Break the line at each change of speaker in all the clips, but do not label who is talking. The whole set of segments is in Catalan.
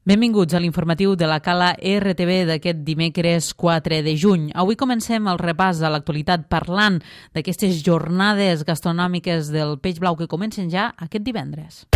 Benvinguts a l'informatiu de la Cala RTV d'aquest dimecres 4 de juny. Avui comencem el repàs de l'actualitat parlant d'aquestes jornades gastronòmiques del Peix Blau que comencen ja aquest divendres.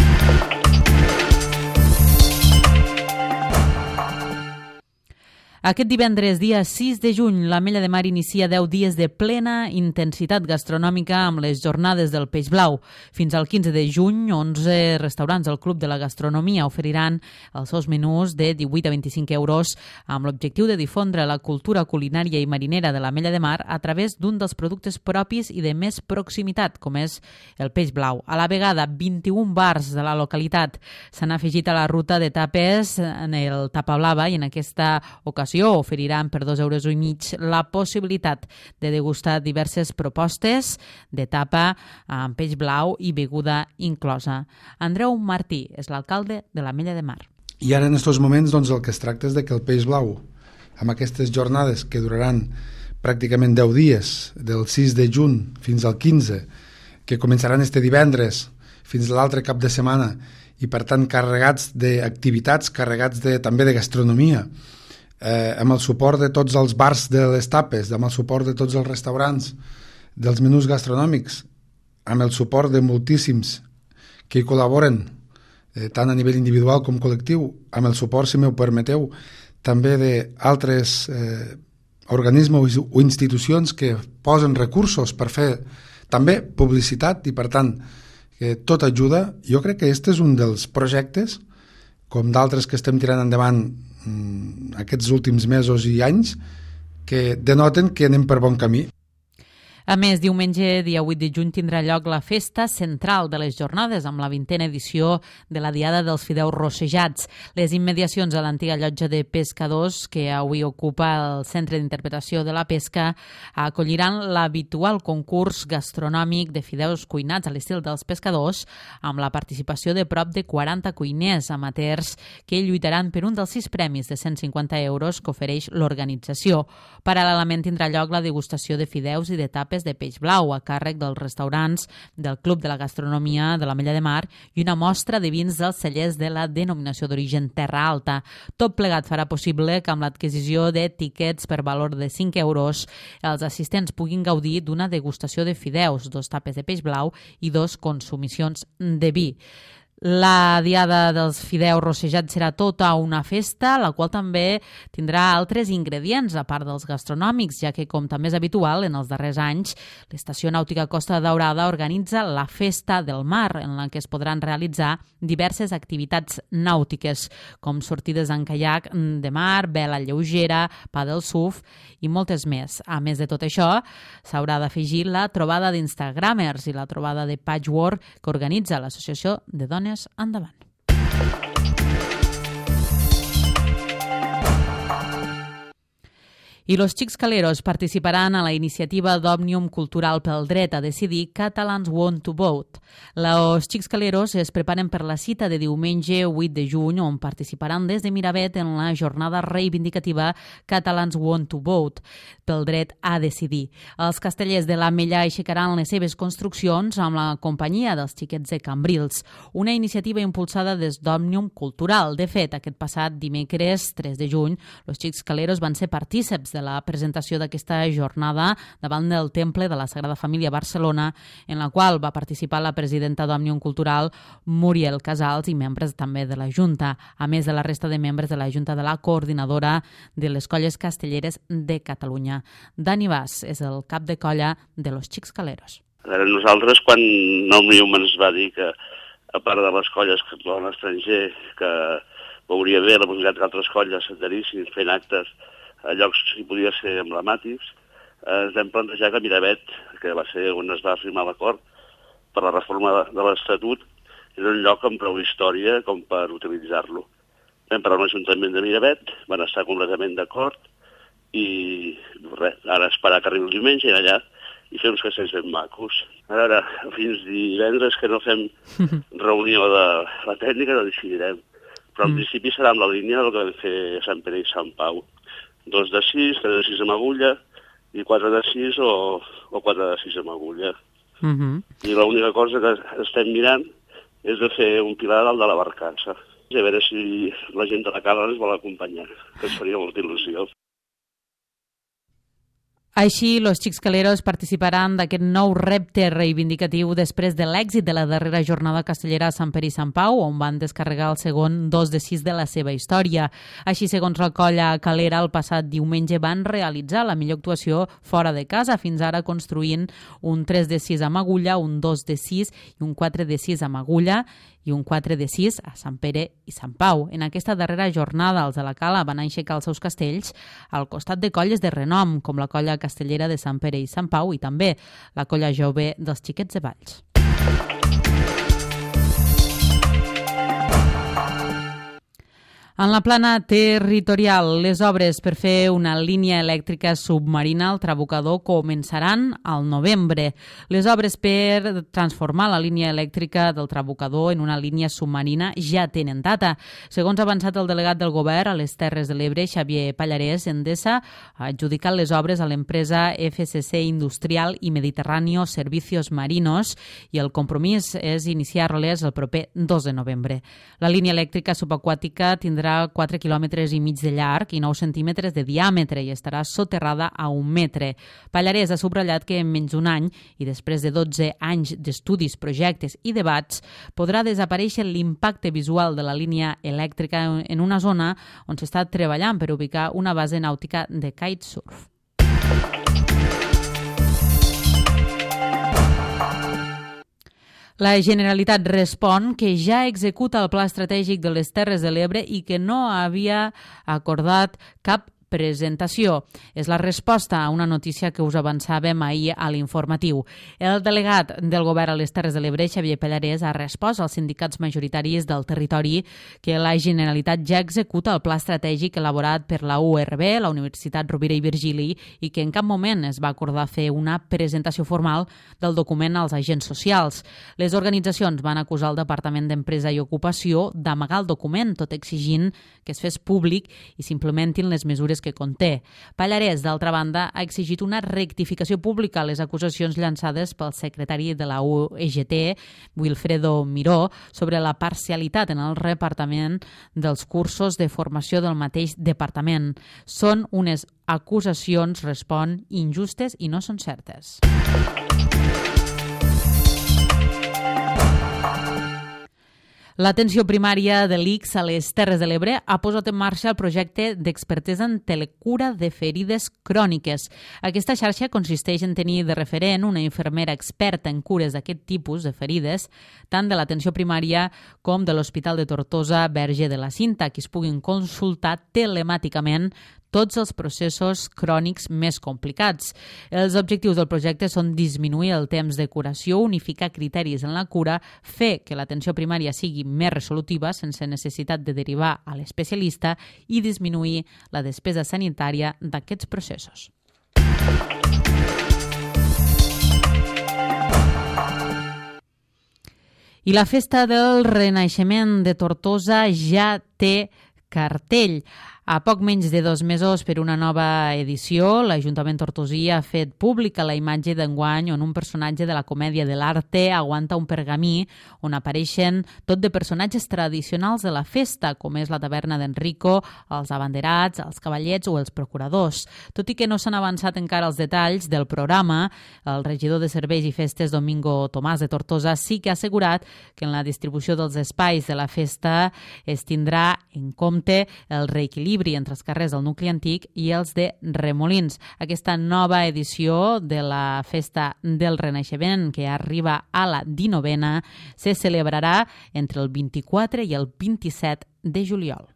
Aquest divendres, dia 6 de juny, l'Ametlla de Mar inicia 10 dies de plena intensitat gastronòmica amb les jornades del Peix Blau. Fins al 15 de juny, 11 restaurants del Club de la Gastronomia oferiran els seus menús de 18 a 25 euros amb l'objectiu de difondre la cultura culinària i marinera de l'Ametlla de Mar a través d'un dels productes propis i de més proximitat, com és el Peix Blau. A la vegada, 21 bars de la localitat s'han afegit a la ruta de tapes en el Tapa Blava i en aquesta ocasió oferiran per 2,5 euros la possibilitat de degustar diverses propostes de tapa amb peix blau i beguda inclosa. Andreu Martí és l'alcalde de l'Ametlla de Mar.
I ara en aquests moments el que es tracta és que el Peix Blau, amb aquestes jornades que duraran pràcticament 10 dies, del 6 de juny fins al 15, que començaran este divendres fins a l'altre cap de setmana i per tant carregats d'activitats, carregats també de gastronomia, amb el suport de tots els bars de les tapes, amb el suport de tots els restaurants, dels menús gastronòmics, amb el suport de moltíssims que hi col·laboren, tant a nivell individual com col·lectiu, amb el suport, si m'ho permeteu, també d'altres organismes o institucions que posen recursos per fer també publicitat i, per tant, tot ajuda. Jo crec que aquest és un dels projectes, com d'altres que estem tirant endavant aquests últims mesos i anys, que denoten que anem per bon camí.
A més, diumenge, dia 8 de juny, tindrà lloc la festa central de les jornades amb la 20a edició de la Diada dels Fideus Rossejats. Les immediacions a l'antiga llotja de pescadors, que avui ocupa el Centre d'Interpretació de la Pesca, acolliran l'habitual concurs gastronòmic de fideus cuinats a l'estil dels pescadors, amb la participació de prop de 40 cuiners amateurs que lluitaran per un dels 6 premis de 150 euros que ofereix l'organització. Paral·lelament tindrà lloc la degustació de fideus i de tapes de peix blau a càrrec dels restaurants del Club de la Gastronomia de l'Ametlla de Mar i una mostra de vins dels cellers de la denominació d'origen Terra Alta. Tot plegat farà possible que amb l'adquisició de tiquets per valor de 5 euros els assistents puguin gaudir d'una degustació de fideus, 2 tapes de peix blau i 2 consumicions de vi. La Diada dels Fideus Rossejats serà tota una festa, la qual també tindrà altres ingredients, a part dels gastronòmics, ja que, com també és habitual en els darrers anys, l'Estació Nàutica Costa Daurada organitza la Festa del Mar, en la que es podran realitzar diverses activitats nàutiques, com sortides en caiac de mar, vela lleugera, paddle surf i moltes més. A més de tot això, s'haurà d'afegir la trobada d'Instagramers i la trobada de Patchwork que organitza l'Associació de Dones Endavant. I los Xics Caleros participaran a la iniciativa d'Òmnium Cultural pel Dret a Decidir Catalans Want to Vote. Los Xics Caleros es preparen per la cita de diumenge 8 de juny, on participaran des de Miravet en la jornada reivindicativa Catalans Want to Vote pel Dret a Decidir. Els castellers de l'Ametlla aixecaran les seves construccions amb la companyia dels xiquets de Cambrils, una iniciativa impulsada des d'Òmnium Cultural. De fet, aquest passat dimecres 3 de juny, los Xics Caleros van ser partíceps de la presentació d'aquesta jornada davant del Temple de la Sagrada Família a Barcelona, en la qual va participar la presidenta d'Òmnium Cultural, Muriel Casals, i membres també de la Junta, a més de la resta de membres de la Junta de la Coordinadora de les Colles Castelleres de Catalunya. Dani Bas és el cap de colla de los Xics Caleros.
Nosaltres, quan Òmnium ens va dir que, a part de les colles que actuaven a l'estranger, que veuria bé la possibilitat que altres colles s'adherissin fent actes a llocs que podia ser emblemàtics, ens vam plantejar que Miravet, que va ser on es va firmar l'acord per la reforma de l'Estatut, era un lloc amb prou història com per utilitzar-lo. Vam parlar amb l'Ajuntament de Miravet, van estar completament d'acord i res, ara esperar que arribi el diumenge i allà i fer uns castells ben macos. Ara, fins divendres que no fem reunió de la tècnica no decidirem, però en principi serà amb la línia del que vam fer a Sant Pere i Sant Pau. 2 de 6, 3 de 6 amb agulla i 4 de 6 o 4 de 6 amb agulla. I l'única cosa que estem mirant és de fer un pilar dalt de la barcassa. I a veure si la gent de la Cala ens vol acompanyar, que ens faria molta il·lusió.
Així, los Xics Caleros participaran d'aquest nou repte reivindicatiu després de l'èxit de la darrera jornada castellera a Sant Pere i Sant Pau, on van descarregar el segon 2 de 6 de la seva història. Així, segons la colla calera, el passat diumenge van realitzar la millor actuació fora de casa, fins ara construint un 3 de 6 amb agulla, un 2 de 6 i un 4 de 6 amb agulla, i un 4 de 6 a Sant Pere i Sant Pau. En aquesta darrera jornada, els de la Cala van aixecar els seus castells al costat de colles de renom, com la colla castellera de Sant Pere i Sant Pau i també la colla jove dels Xiquets de Valls. En la plana territorial, les obres per fer una línia elèctrica submarina al Trabucador començaran al novembre. Les obres per transformar la línia elèctrica del Trabucador en una línia submarina ja tenen data. Segons ha avançat el delegat del govern a les Terres de l'Ebre, Xavier Pallarès, Endesa ha adjudicat les obres a l'empresa FSC Industrial i Mediterráneo Servicios Marinos i el compromís és iniciar-les el proper 2 de novembre. La línia elèctrica subaquàtica tindrà 4 quilòmetres i mig de llarg i 9 centímetres de diàmetre i estarà soterrada a 1 metre. Pallarès ha subratllat que en menys d'un any i després de 12 anys d'estudis, projectes i debats podrà desaparèixer l'impacte visual de la línia elèctrica en una zona on s'està treballant per ubicar una base nàutica de kitesurf. La Generalitat respon que ja executa el Pla Estratègic de les Terres de l'Ebre i que no havia acordat cap presentació. És la resposta a una notícia que us avançàvem ahir a l'informatiu. El delegat del govern a les Terres de l'Ebre, Xavier Pallarès, ha respost als sindicats majoritaris del territori que la Generalitat ja executa el pla estratègic elaborat per la URB, la Universitat Rovira i Virgili, i que en cap moment es va acordar fer una presentació formal del document als agents socials. Les organitzacions van acusar el Departament d'Empresa i Ocupació d'amagar el document, tot exigint que es fes públic i s'implementin les mesures que conté. Pallarès, d'altra banda, ha exigit una rectificació pública a les acusacions llançades pel secretari de la UEGT, Wilfredo Miró, sobre la parcialitat en el repartiment dels cursos de formació del mateix departament. Són unes acusacions, respon, injustes i no són certes. L'atenció primària de l'ICS a les Terres de l'Ebre ha posat en marxa el projecte d'expertesa en telecura de ferides cròniques. Aquesta xarxa consisteix en tenir de referent una infermera experta en cures d'aquest tipus de ferides, tant de l'atenció primària com de l'Hospital de Tortosa Verge de la Cinta, que es puguin consultar telemàticament tots els processos crònics més complicats. Els objectius del projecte són disminuir el temps de curació, unificar criteris en la cura, fer que l'atenció primària sigui més resolutiva sense necessitat de derivar a l'especialista i disminuir la despesa sanitària d'aquests processos. I la Festa del Renaixement de Tortosa ja té cartell. A poc menys de 2 mesos per una nova edició, l'Ajuntament tortosí ha fet pública la imatge d'enguany on un personatge de la comèdia de l'arte aguanta un pergamí on apareixen tot de personatges tradicionals de la festa, com és la taverna d'Enrico, els abanderats, els cavallets o els procuradors. Tot i que no s'han avançat encara els detalls del programa, el regidor de Serveis i Festes, Domingo Tomàs de Tortosa, sí que ha assegurat que en la distribució dels espais de la festa es tindrà en compte el reequilibri entre els carrers del nucli antic i els de Remolins. Aquesta nova edició de la Festa del Renaixement, que arriba a la 19a, se celebrarà entre el 24 i el 27 de juliol.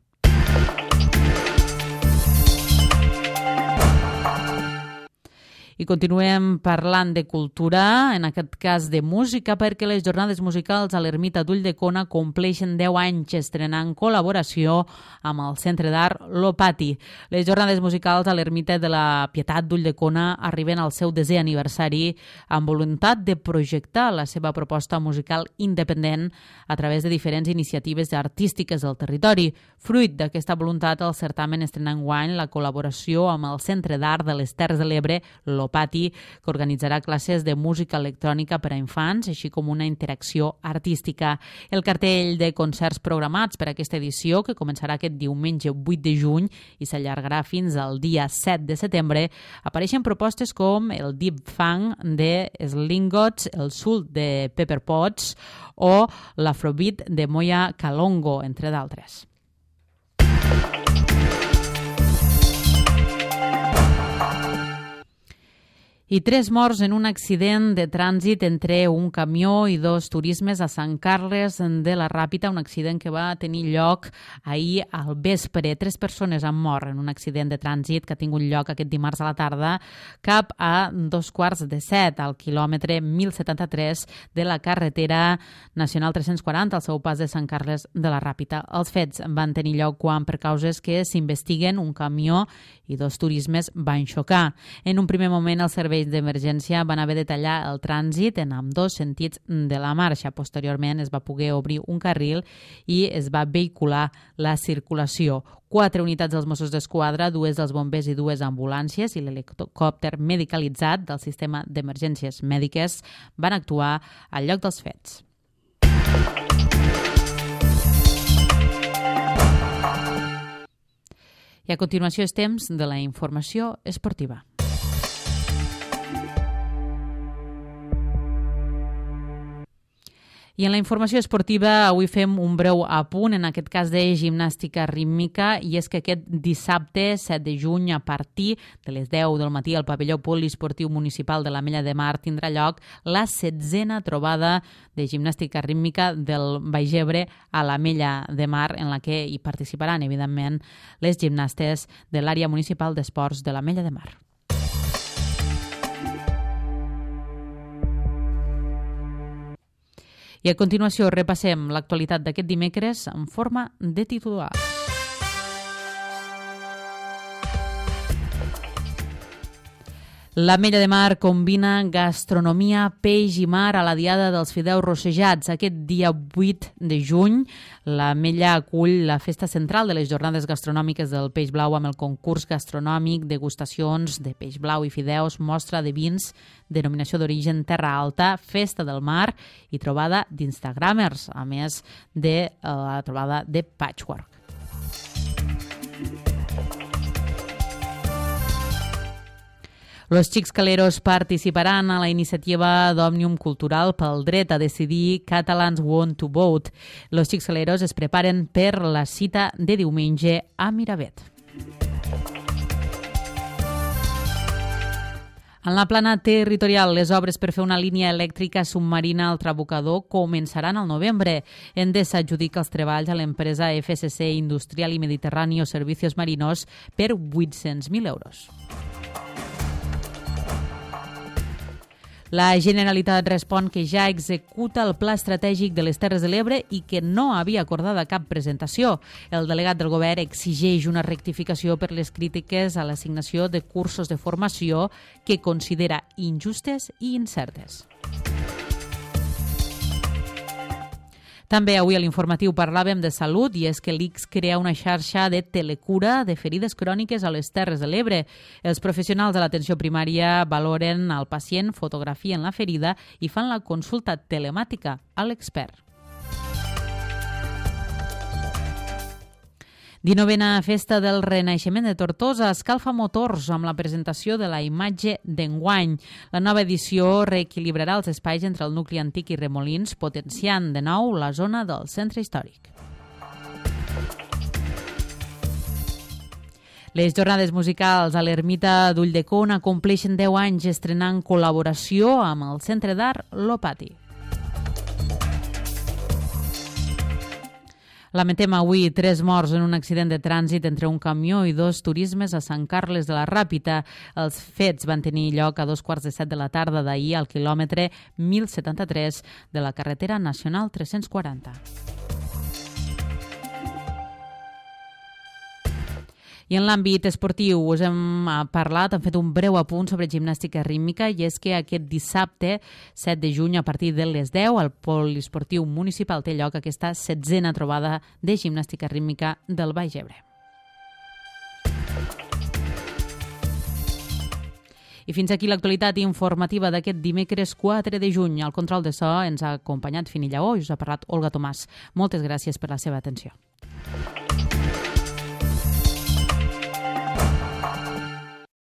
I continuem parlant de cultura, en aquest cas de música, perquè les jornades musicals a l'Ermita d'Ulldecona compleixen 10 anys estrenant col·laboració amb el Centre d'Art Lopati. Les jornades musicals a l'Ermita de la Pietat d'Ulldecona arriben al seu 10è aniversari amb voluntat de projectar la seva proposta musical independent a través de diferents iniciatives artístiques del territori. Fruit d'aquesta voluntat, el certamen estrena enguany la col·laboració amb el Centre d'Art de les Terres de l'Ebre Lopati, Lopati, que organitzarà classes de música electrònica per a infants, així com una interacció artística. El cartell de concerts programats per a aquesta edició, que començarà aquest diumenge 8 de juny i s'allargarà fins al dia 7 de setembre, apareixen propostes com el Deep Funk de Slingots, el Soul de Pepper Potts o l'Afrobeat de Moya Kalongo, entre d'altres. I 3 morts en un accident de trànsit entre un camió i 2 turismes a Sant Carles de la Ràpita, un accident que va tenir lloc ahir al vespre. 3 persones han mort en un accident de trànsit que ha tingut lloc aquest dimarts a la tarda cap a 6:45 al quilòmetre 1073 de la carretera nacional 340 al seu pas de Sant Carles de la Ràpita. Els fets van tenir lloc quan, per causes que s'investiguen, un camió i 2 turismes van xocar. En un primer moment, els serveis d'emergència van haver de tallar el trànsit en ambdós sentits de la marxa. Posteriorment es va poder obrir un carril i es va vehicular la circulació. 4 unitats dels Mossos d'Esquadra, 2 dels bombers i 2 ambulàncies i l'helicòpter medicalitzat del sistema d'emergències mèdiques van actuar al lloc dels fets. I a continuació és temps de la informació esportiva. I en la informació esportiva avui fem un breu apunt, en aquest cas de gimnàstica rítmica, i és que aquest dissabte 7 de juny a partir de les 10 del matí al pavelló poliesportiu municipal de l'Ametlla de Mar tindrà lloc la 16a trobada de gimnàstica rítmica del Baix Ebre a l'Ametlla de Mar, en la que hi participaran, evidentment, les gimnastes de l'àrea municipal d'esports de l'Ametlla de Mar. I a continuació repassem l'actualitat d'aquest dimecres en forma de titulars. L'Ametlla de Mar combina gastronomia, peix i mar a la Diada dels Fideus Rossejats. Aquest dia 8 de juny, l'Ametlla acull la festa central de les jornades gastronòmiques del peix blau amb el concurs gastronòmic, degustacions de peix blau i fideus, mostra de vins, denominació d'origen Terra Alta, festa del mar i trobada d'instagramers, a més de la trobada de patchwork. Los Xixcaleros participaran a la iniciativa d'Òmnium Cultural pel dret a decidir Catalans Want to Vote. Los Xixcaleros es preparen per la cita de diumenge a Miravet. En la plana territorial, les obres per fer una línia elèctrica submarina al Trabucador començaran al novembre. Endesa adjudica els treballs a l'empresa FSC Industrial i Mediterráneo Servicios Marinos per 800.000 euros. La Generalitat respon que ja executa el Pla Estratègic de les Terres de l'Ebre i que no havia acordada cap presentació. El delegat del govern exigeix una rectificació per les crítiques a l'assignació de cursos de formació que considera injustes i incertes. També avui a l'informatiu parlàvem de salut i és que l'ICS crea una xarxa de telecura de ferides cròniques a les Terres de l'Ebre. Els professionals de l'atenció primària valoren al pacient, fotografien la ferida i fan la consulta telemàtica a l'expert. 19a Festa del Renaixement de Tortosa escalfa motors amb la presentació de la imatge d'enguany. La nova edició reequilibrarà els espais entre el nucli antic i Remolins, potenciant de nou la zona del centre històric. Les jornades musicals a l'Ermita d'Ulldecona compleixen 10 anys estrenant col·laboració amb el Centre d'Art Lopati. Lamentem avui 3 morts en un accident de trànsit entre un camió i 2 turismes a Sant Carles de la Ràpita. Els fets van tenir lloc a 2:45 de la tarda d'ahir al quilòmetre 1073 de la carretera nacional 340. I en l'àmbit esportiu us hem parlat, hem fet un breu apunt sobre gimnàstica rítmica i és que aquest dissabte 7 de juny a partir de les 10 al poliesportiu municipal té lloc aquesta 16a trobada de gimnàstica rítmica del Baix Ebre. I fins aquí l'actualitat informativa d'aquest dimecres 4 de juny. Al control de so ens ha acompanyat Fini Lleó i us ha parlat Olga Tomàs. Moltes gràcies per la seva atenció.